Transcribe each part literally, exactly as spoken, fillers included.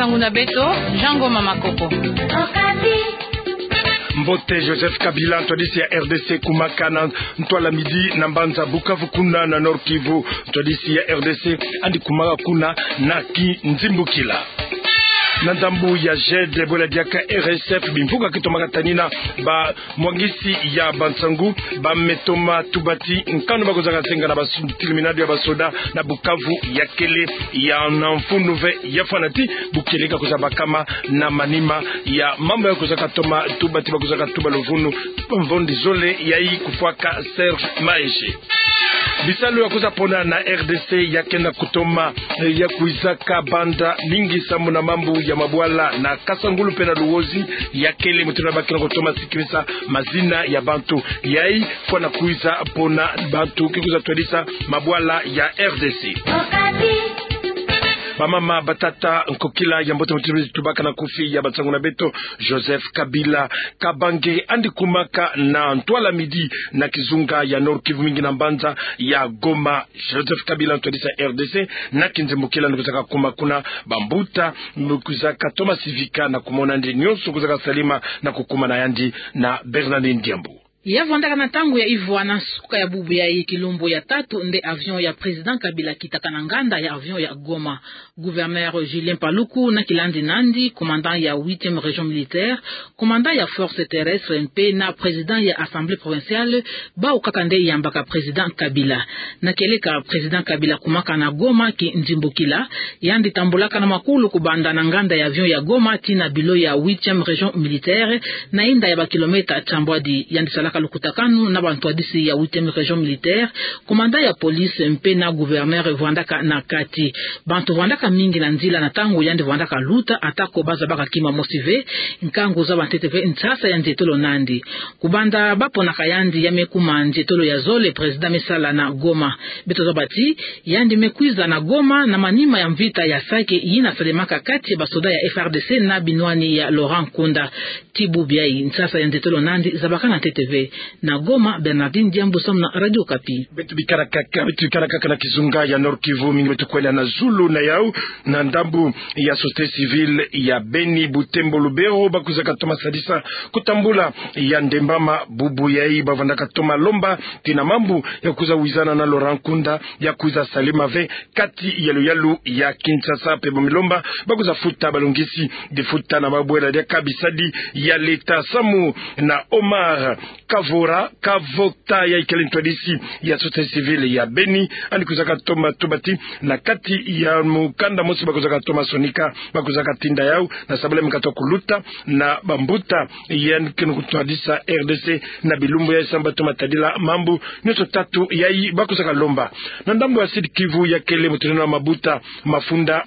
Ngunza beto, Jean Ngoma Makoko. Mbote. Joseph Kabila, ntwadisi ya R D C, kumaka na ntwala midi na mbanza Bukavu kuna na Nord-Kivu. Ntwadisi ya R D C yandi kumaka kuna na kinzimbukila. Na ndambu ya G E D, bwela diaka R S F, bimvuka ke tomaka tanina ba mwangisi ya bansangu ba me toma tubati nkanu ba kozaka zenga na bas-, tilminado ya basoda na Bukavu ya kele ya na mfunu ve ya fwana ti bukele ka kozabakama na manima ya mambu ya kozaka toma tubati ba kozaka tuba luvunu mvondi zole yayi kufwaka Serge Maheshe. Bisalu ya kwiza pona na R D C ya ke na kutoma, eh, ya kwizaka banda mingi samu na mambu ya mabwala na Kasangulu mpe na Luozi ya kele mutindu ba ke na kutoma sikimisa mazina ya bantu. Yayi fwana kwiza pona bantu ke kwiza twadisa mabwala ya R D C. Bamama, batata, nkokila ya mbote mutindu tubaka na kufi ya bansangu na beto, Joseph Kabila Kabange yandi kumaka na ntwala midi na kizunga ya Nord-Kivu, mingi na mbanza ya Goma. Joseph Kabila, ntwadisi ya R D C, na kinzimbukila yandi kwizaka kuma kuna, bambuta kwizaka toma sivika na kumona yandi, nyonso kwizaka salama na kukuma na yandi. Na Bernardine Diambu. Ya vwandaka na ntangu ya ivwa na nsuka ya bubu yayi, kilumbu ya tatu nde avion ya Président Kabila kitaka na nganda ya avion ya Goma. Gouverneur Julien Paluku na kilandi nandi, commandant ya huitième région militaire, commandant ya force terrestre mpe na président ya assemblée provinciale, bawu kaka nde yambaka Président Kabila. Na kieleka Président Kabila kumaka na Goma, kinzimbukila yandi tambulaka na makulu kubanda na nganda ya avion ya Goma tii na bilo ya huitième région militaire, na inda ya ba kilomètre tiambwadi. Yandi salaka lukutakanu na bantwadisi ya huitième région militaire, commandant ya police mpe na gouverneur vwandaka na kati. Bantu vwandaka mingi na nzila na ntangu yandi vwandaka luta, atako bazabaka kima mosi ve, nkangu zaba ntete ve nsasa ya nzietolo nandi. Kubanda baponaka yandi, ya me kuma nzietolo ya zole Président me sala na Goma. Beto zaba ti yandi me kwiza na Goma na manima ya mvita ya Sake yina salemaka kati ya basoda ya F R D C na binwani ya Laurent Nkunda. Tii bubu yayi, nsasa ya nzietolo nandi zabakana ntete ve. Na Goma, Bernardine Diambu samu na Radio Okapi. Beto bikala kaka, beto bikala kaka na kizunga ya Nord-Kivu, mingi beto kwenda na zulu na yawu, na ndambu ya société civile ya Beni, Butembo, Lubero, ba kwizaka toma sadisa kutambula ya ndembama bubu yayi, ba vwandaka toma lomba tii na mambu ya kwiza wizana na Laurent Nkunda, ya kwiza salama ve kati ya luyalu ya Kinshasa. Mpe ba me lomba ba kwiza futa balongisi difuta na ba bwela diaka bisadi ya leta samu na Omar Kavora, Kavota, yayi kele ntwadisi ya société civile ya Beni, yandi kwizaka toma tubati na kati ya mukanda mosi ba kwizaka toma sonika, ba kwizaka tinda yawu na sabala me katuka kuluta na bambuta yandi ke na kutwadisa R D C na bilumbu yayi samu ba toma tadila mambu nyonso tatu yayi ba kwizaka lomba. Na ndambu ya Sud-Kivu ya kele mutindu na mabuta mafunda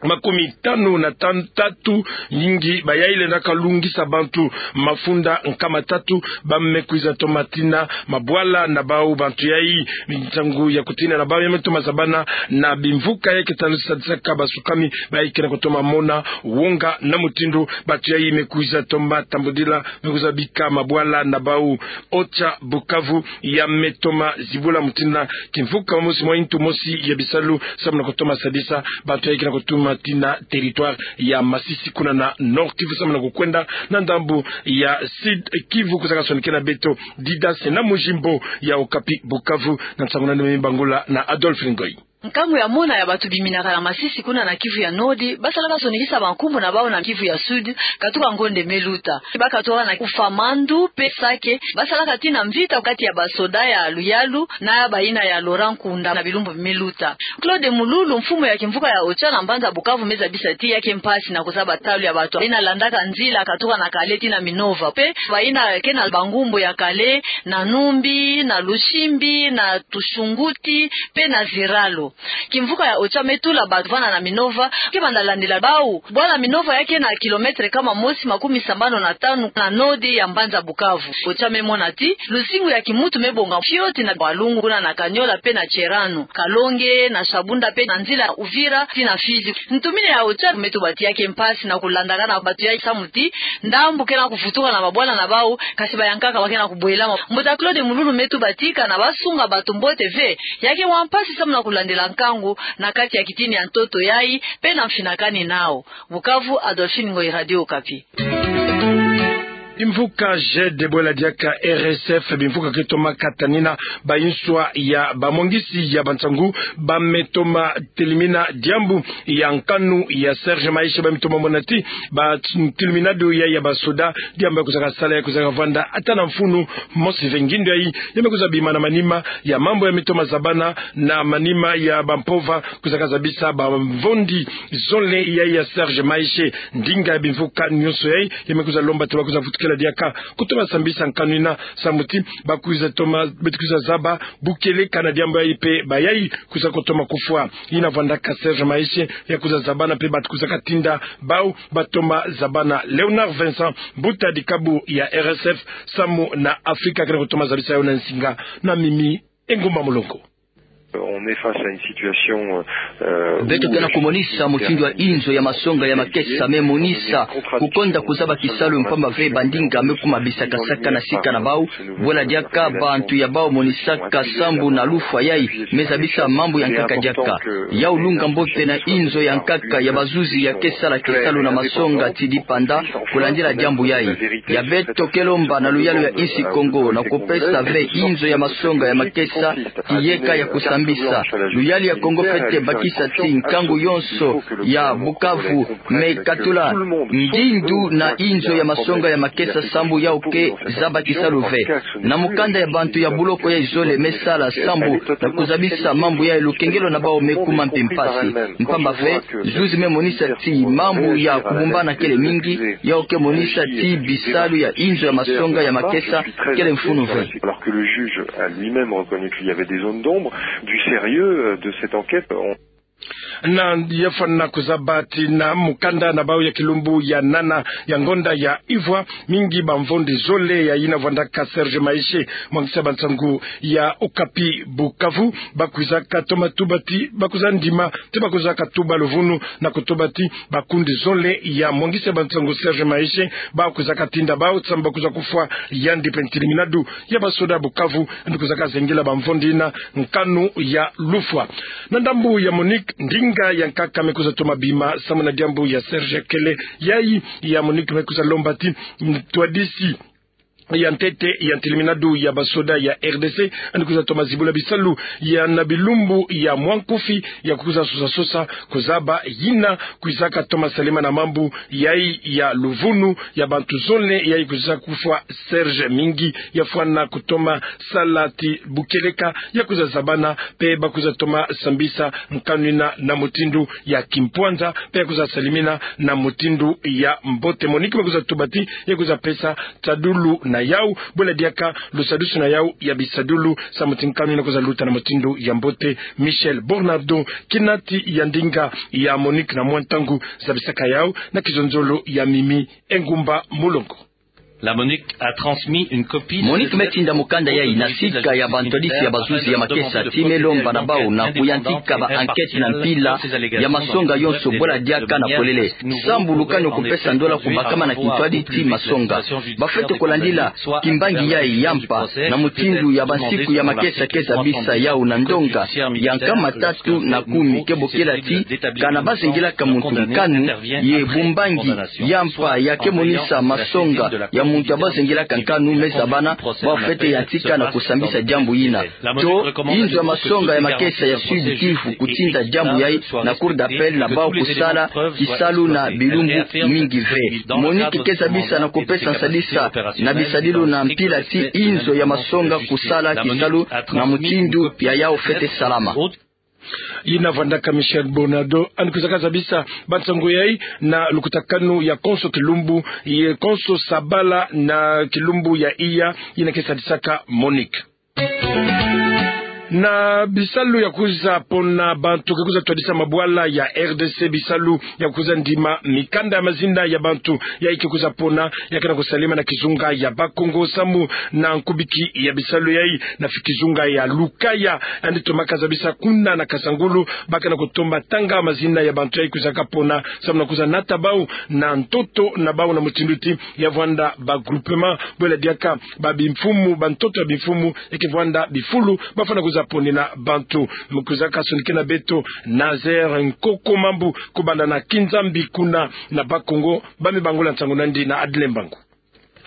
makumi tanu na tan-, tatu, mingi ba yayi lenda kalungisa bantu mafunda nkama tatu, ba me kwiza toma tina mabwala na bawu. Bantu yayi, nsangu ya kutina na bawu ya me toma zabana na bimvuka ya ke tanu sadisaka basukami, ba yayi ke na kutoma mona wonga na mutindu bantu yayi me kwiza toma tambudila, me kwiza bika mabwala na bawu. OCHA Bukavu ya me toma zibula mutindu na kimvuka mosi mwa ntu mosi ya bisalu samu na kutoma sadisa bantu yayi ke na kutoma tina territoire ya Masisi kuna na Nord-Kivu samu na kukwenda na ndambu ya Sud-Kivu. Kwizaka sonikena beto Didas na Mujimbo ya Okapi Bukavu, na nsangu nani me bangula na Adolphe Ngoyi. Nkangu ya mona ya bantu biminaka na Masisi kuna na Kivu ya Nord, ba salaka sonikisa bankumbu na bawu na Kivu ya Sud, katuka ngonde me luta. Ba katuka na Kufa Mandu mpe Sake, ba salaka tina mvita kati ya basoda ya luyalu na ya bayina ya Laurent Nkunda na bilumbu me luta. Claude Mululu, mfumu ya kimvuka ya OCHA na mbanza Bukavu, me zabisa ti ya ke mpasi na kuzaba talu ya bantu bayina landaka nzila katuka na Kale tii na Minova, mpe bayina ke na bangumbu ya Kale, na Numbi, na Lushimbi, na Tushunguti, mpe na Ziralo. Kimvuka ya OCHA me tula bantu vana na Minova, ke banda landila bawu. Bwala Minova ya ke na kilomètre nkama mosi makumi sambanu na tanu na nord ya mbanza Bukavu. OCHA me mona ti luzingu ya kimuntu me bonga fioti na Walungu kuna na Kamanyola mpe na Tsherano, Kalonge, na Shabunda mpe na nzila Uvira tii na Fizi. Ntumini ya OCHA me tuba ti ya ke mpasi na kulandakana na bantu yayi samu ti ndambu ke na kuvutuka na mabwala na bawu, kasi bayankaka ba ke na kubwelama. Mbuta Claude Mululu me tuba ti kana ba sunga bantu mbote ve, ya ke wa mpasi samu na kulandila la nkangu na kati ya kitini ya ntoto yai, pe na mfinakani nao. Bukavu, Adolphine Ngoyi, Radio Okapi. Bimvuka G D bwela diaka R S F, bimvuka ke toma katanina bayinswa ya bamwangisi ya bansangu, ba me toma telimina diambu ya nkanu ya Serge Maeshe, ba me toma mona ti ba telimina du ya, ya basoda, diambu ya kuzaka sala ya kuzaka vwanda ata na mfunu mosi ve. Ngindu yai ya me kwiza bima na manima ya mambu ya me toma zabana na manima ya bampova, kuzaka zabisa bamvondi zole ya, ya Serge Maeshe. Ndinga ya bimvuka nyonso yai ya me kwiza lomba ti ba kwiza vutukila diaka kutoma sambisa nkanu ina, samu ti ba kwiza toma, ba kwiza zaba bukeleka na diambu yai pe bayai kwiza kutoma kufwa. Ina vwandaka Serge Maeshe ya kwiza zabana pe ba kwiza katinda bau ba toma zabana. Léonard Vincent, mbuta dikabu ya R S F samu na Afrika, kena kutoma zabisa yo na nsinga na Mimi Engumba Mulongo. On est face à une situation, euh, euh, beto tena kumonisa mutindu ya inzo ya masonga ya makesa me monisa kukonda kuzaba kisalu, mpamba ve bandinga me kuma bisakasaka na sika na bau. Bwela diaka bantu ya bau monisaka sambu na lufwa yai me zabisa mambu ya nkaka diaka. Yau lunga mbote na inzo ya nkaka ya bazuzi ya ke sala kisalu na masonga ti dipanda kulandila diambu yai. Ya beto ke lomba na luyalu ya insi Kongo na kupesa ve inzo ya masonga ya makesa kiyeka ya kusambisa. Luyalu ya Kongo fwete bakisa ti nkangu yonso ya Bukavu me katula ngindu na inzo ya masonga ya makesa sambu yau ke zaba kisalu ve. Na mukanda ya bantu ya buloko yai zole me sala sambu na kuzabisa mambu yai, lukengelo na bau me kuma mpe mpasi. Mpamba ve zuzi me monisa ti mambu ya kubumbana kele mingi, yau ke monisa ti bisalu ya inzo ya masonga ya makesa kele mfunu ve. Alors que le juge a lui-même reconnu qu'il y avait des zones d'ombre, du sérieux, euh, de cette enquête, on... Na ya fwana kuzaba ti na mukanda na bau ya kilumbu ya nana ya ngonda ya ivwa, mingi bamvondi zole ya ina vwandaka Serge Maeshe, mwangisi ya bansangu ya Okapi Bukavu, ba kwiza katoma tuba ti ba kwiza ndima ti ba kwiza katuba luvunu na kutuba ti bakundi zole ya mwangisi ya bansangu Serge Maeshe ba kwiza katinda bau sambu ba kwiza kufwa yandi pe ntilimina du ya basoda Bukavu, andi kwiza kazengela bamvondi ina nkanu ya lufwa. Na ndambu ya MONUC, ndinga ya nkaka me kwiza toma bima samu na diambu ya Serge kele yai. Ya MONUC me kwiza lomba ti ntwadisi ya ntete ya ntilimina du ya basoda ya R D C andi kwiza toma zibula bisalu ya na bilumbu ya mwa nkufi ya kwiza sosa sosa kuzaba yina kwiza katoma salema na mambu yai ya luvunu ya bantu zole yai kwiza kufwa. Serge, mingi ya fwana kutoma sala ti bukeleka ya kwiza zabana pe ba kwiza toma sambisa nkanu ina na mutindu ya kimpwanza pe ya kwiza salimina na mutindu ya mbote. MONUC ba kwiza tuba ti ya kwiza pesa tadulu na yau. Bwela diaka lusadusu na yau ya bisadulu samu ti nkanu ina kwiza luta na mutindu ya mbote. Michel Bornardo, kinati ya ndinga ya MONUC na mwa ntangu, zabisaka yau na kizonzolo ya Mimi Engumba Mulongo. La MONUC a transmis une copie de... MONUC me tinda mukanda yai na sika ya bantwadisi ya bazuzi ya makesa ti me lomba na bau na kuyantika ba enquête na mpila ya masonga yonso, bwela diaka na polele. Sambu lukani kupesa ndola kubakama na kintwadi ti masonga. Ba fwete kulandila kimbangi yai ya mpa na mutindu ya bansiku ya makesa ke zabisa yau na ndonga ya nkama tatu na kumi ke bokela ti kana ba zengilaka muntu nkanu ye bumbangi ya mpa ya ke monisa masonga ya muntu ya ba zengilaka nkanu me zabana, ba fwete yantika na kusambisa diambu yina. To inzo ya masonga ya makesa ya Sud Kivu kutinda diambu yai na Cour d'appel na bau kusala kisalu na bilumbu mingi ve. MONUC ke zabisa na kupesa nsadisa na bisadilu na mpila ti inzo ya masonga kusala kisalu na mutindu ya yau fwete salama. Yina vwandaka Michel Bornardo, andi kwizaka zabisa bansangu yai na lukutakanu ya konso kilumbu, ye konso sabala na kilumbu ya iya, yina ke sadisaka MONUC. Na bisalu ya kwiza pona bantu ke kwiza twadisa mabwala ya R D C, bisalu ya kwiza ndima mikanda ya mazina ya bantu yai ke kwiza pona, ya ke na kusalema na kizunga ya Bakongo samu na nkubiki ya bisalu yai na fi kizunga ya Lukaya. Andi tomaka zabisa kuna na Kasangulu, ba ke na kutoma tanga mazina ya bantu yai kwizaka pona samu na kwiza nata bau na ntoto na bau na mutindu ti ya vwanda ba groupement, bwela diaka ba bimfumu, ba ntoto ya bimfumu, ya ke vwanda bifulu, ba fwana kwiza za ponina bantu. Mu kwizaka sonikena beto Nazaire Nkoko Mambu, kubanda na Kinzambi kuna na Bas-Congo, ba me bangula nsangu nandi na Adrien Mbangu.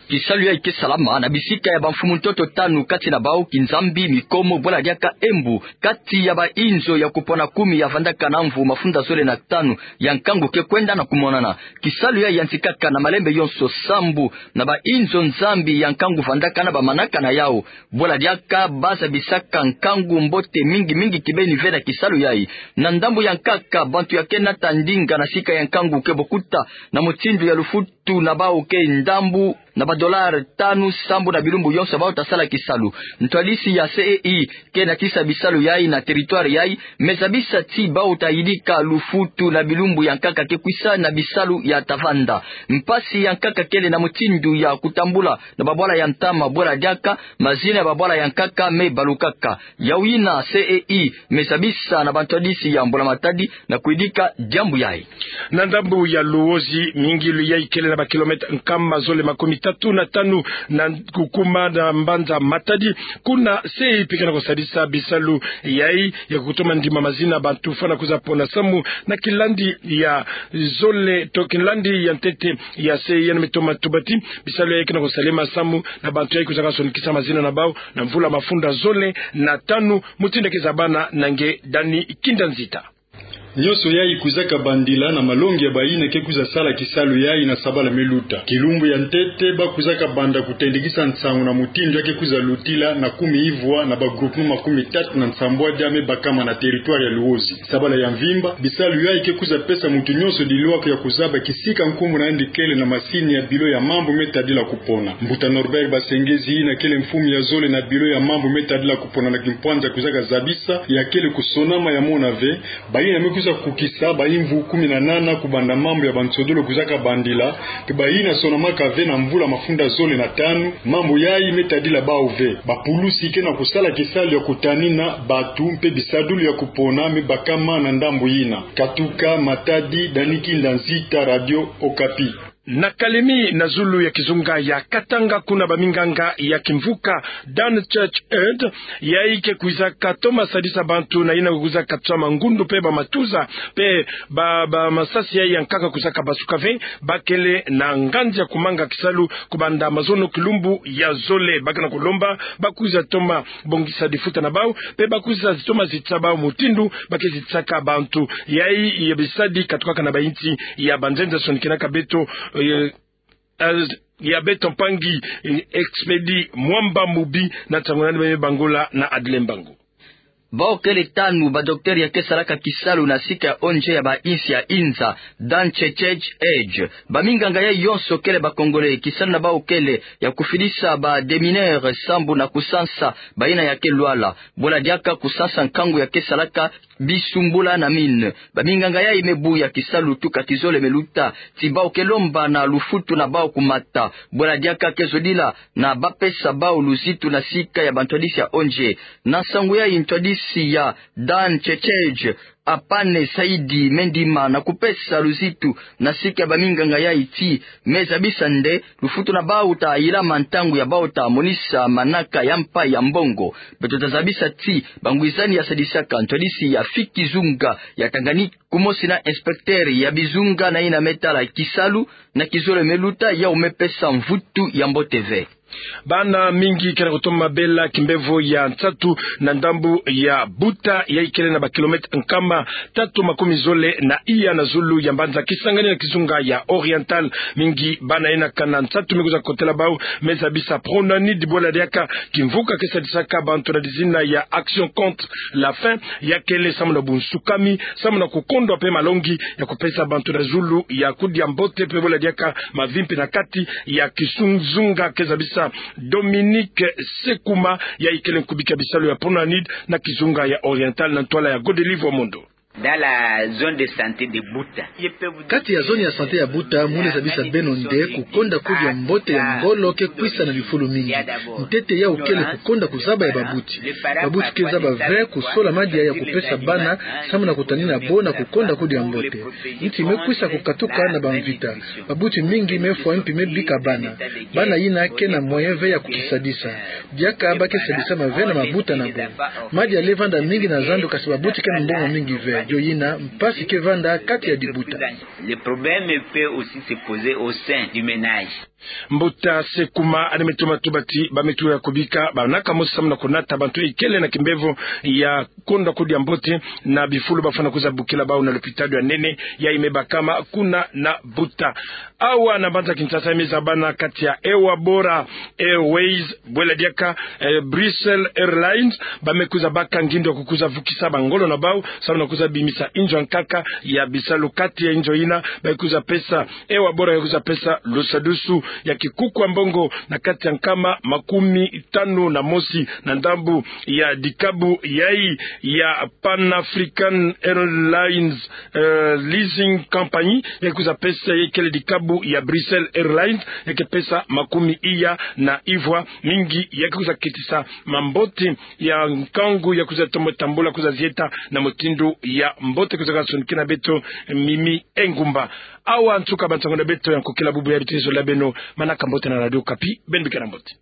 Kisalu yayi ke salama na bisika ya bamfumu ntoto tanu, kati na bau Kinzambi, Mikomo, Bwala Diaka, Embu, kati ya bainzo ya kupona kumi ya vandaka na mvu mafunda zole na tanu ya nkangu ke kwenda na kumonana. Kisalu yayi yantikaka na malembe yonso sambu na bainzo Nzambi ya nkangu vandaka na bamanaka na yau. Bwala Diaka ba zabisaka nkangu mbote mingi mingi kibeni ve na kisalu yayi. Na ndambu ya nkaka, bantu ya ke nata ndinga na sika ya nkangu ke bokuta na mutindu ya lufutu na bau ke ndambu na badolare tanu sambu na bilumbu yonso bau ta sala kisalu. Ntwadisi ya C E I ke natisa bisalu yayi na territoire yayi me zabisa ti bau ta yidika lufutu na bilumbu ya nkaka ke kwisa na bisalu ya ta vanda. Mpasi ya nkaka kele na mutindu ya kutambula na babwala ya ntama. Bwala Diaka, mazina ya babwala ya nkaka me balukaka. Yau yina C E I me zabisa na bantwadisi ya Mbula Matadi na kuyidika diambu yayi. Na ndambu ya Luozi, mingilu yayi kele na bakilomètre nkama zole makumi tatu na tanu na kukuma na mbanza Matadi, kuna C E I pika na kusadisa bisalu yayi ya kutoma ndima mazina bantu fwana kwiza pona samu na kilandi ya zole to kilandi ya ntete ya C E I, yandi me toma tuba ti bisalu yayi ke na kusalema samu na bantu yayi kwizaka sonikisa mazina na bau na mvula mafunda zole na tanu. Mutindu ke zabana na nge Dani Kinda Nzita. Nyonso yayi kwizaka bandila na malongi ya bayina ke kwiza sala kisalu yayi na sabala me luta. Kilumbu ya ntete ba kwizaka banda kutendikisa nsangu na mutindu ya ke kwiza lutila na kumi ivwa na ba groupement makumi tatu na nsambwadi ya me bakama na territoire ya Luozi. Sabala ya mvimba, bisalu yayi ke kwiza pesa muntu nyonso dilwaka ya kuzaba kisika nkumbu na yandi kele na masini ya biro ya mambu me tadila kupona. Mbuta Norbert Basengezi, yina kele mfumu ya zole na biro ya mambu me tadila kupona na kimpwanza, kwizaka zabisa ya kele kusonama ya mona ve bayina me kwiza kukisa bayi mvu kumi na nana kubanda mambu ya bansodolo kwizaka bandila, ke bayina sonamaka ve na mvula mafunda zole na tanu, mambu yayi me tadila bau ve. Bapulusi ke na kusala kisalu ya kutanina bantu mpe bisadulu ya kupona me bakama na ndambu yina. Katuka Matadi, Dani Kinda Nzita, Radio Okapi. Na Kalemi, na zulu ya kizunga ya Katanga, kuna baminganga ya kimvuka Done Church Aid, yayi ke kwizaka toma sadisa bantu na yina kwizaka twa mangundu mpe bamatuza mpe ba, bamasasi yayi ya nkaka kwizaka basuka ve, ba kele na nganzi ya kumanga kisalu kubanda mazono kilumbu ya zole. Ba ke na kulomba ba kwiza toma bongisa difuta na bau, mpe ba kwiza toma zitisa bau mutindu ba ke zitisaka bantu yayi ya bisadi katukaka na bayinsi ya banzenza. Sonikenaka beto, eh, eh, ya beto mpangi, eh, Expedi Mwamba Mubi na nsangu nani ba me bangula na Adrien Mbangu. Bau kele tanu badocteur ya ke salaka kisalu na sika ya O N G ya bayinsi ya inza, Done Church Aid. Baminganga yayi yonso kele ba Congolais, kisalu na bau kele ya kufidisa ba démineurs sambu na kusansa bayina ya ke lwala. Bwala diaka kusansa nkangu ya ke salaka bisumbula na mine. Baminganga yayi me buya kisalu tuka kizole me luta, ti bau ke lomba na lufutu na bau kumata. Bwala diaka ke zodila na ba pesa bau luzitu na sika ya bantwadisi ya O N G. Na nsangu yayi ntwadisi ya Done Church Aid, Apane Saidi, me ndima na kupesa luzitu na sika ya baminganga yayi ti me zabisa nde lufutu na bau ta yilama ntangu ya bau ta monisa manaka ya mpa ya mbongo. Beto ta zabisa ti bangwizani ya sadisaka ntwadisi ya Fiki Zunga ya Tanganyika, kumosi na inspecteur ya bizunga na yina me tala kisalu na kizole me luta, yau me pesa mvutu ya mbote ve. Bana mingi ke na kutoma bela kimbevo ya nsatu na ndambu ya Buta, yayi kele na bakilomètre nkama tatu makumi zole na iya na zulu ya mbanza Kisangani na kizunga ya Oriental. Mingi bana yina kana nsatu me kwiza kotela bau, me zabisa Pronanid, bwala diaka kimvuka ke sadisaka bantu na dizina ya Action contre la faim, ya kele samu na bunsukami, samu na kukondwa mpe malongi ya kupesa bantu na zulu ya kudia mbote mpe bwala diaka mavimpi na kati ya kizunga, ke zabisa Dominique Sekuma, yayi kele nkubiki ya bisalu ya Pronanid na kizunga ya Oriental na ntwala ya Godelive Omondo. Dans la zone de santé de Buta, kati ya zone ya santé ya Buta, muna zabisa beno nde kukonda kudia mbote ya ngolo ke kwisa na bifulu mingi. Ntete yau kele kukonda kuzaba ya babuti. Babuti ke zaba ve kusola madia ya kupesa bana, samu na kutanina bo na kukonda kudia mbote. Nti me kwisa kukatuka na bamvita. Babuti mingi me fwa mpi me bika bana. Bana yina ke na moyen ve ya kukisadisa. Diaka ba ke sadisa ma ve na mabuta na bo. Madia le vanda mingi na zandu, kasi babuti ke na mbongo mingi ve. Dio yina mpasi ke vanda kati ya dibuta. Le problème peut aussi se poser au sein du ménage. Mbuta Sekuma, ane me toma tubati, ba me tuya kubika banaka mosi samu na kunata bantu ikele na kimbevo ya konda kudia mbote na bifulu bafwana kuza bukila bau na lopitalo ya nene ya Imebakama kuna na Buta. Awa na mbanza Kinshasa, e me zabana kati ya Ewabora Airways, bwela diaka, eh, Brussels Airlines, ba me kuza baka ngindo ya kukuza vukisa bangolo na bau samu na kuza bimisa inzo ya nkaka ya bisalu. Kati ya inzo yina ba kuza pesa, Ewabora ya kuza pesa lusadusu ya kikuku ya mbongo na kati ya nkama makumi tanu na mosi na ndambu ya dikabu yai ya Pan African Airlines, eh, Leasing Company, ya kuza pesa ya kele dikabu ya Brussels Airlines, ya ke pesa makumi iya na ivwa. Mingi ya ke kuza ketisa mambote ya nkangu ya kuza tomo tambula kuza zieta na mutindu ya mbote. Kuza kasonikina beto Mimi Engumba. Awa nsuka bansango na beto ya nkokila bubu ya bitezo la beno. Manaka mbote na Radio Okapi, beno bikana mbote.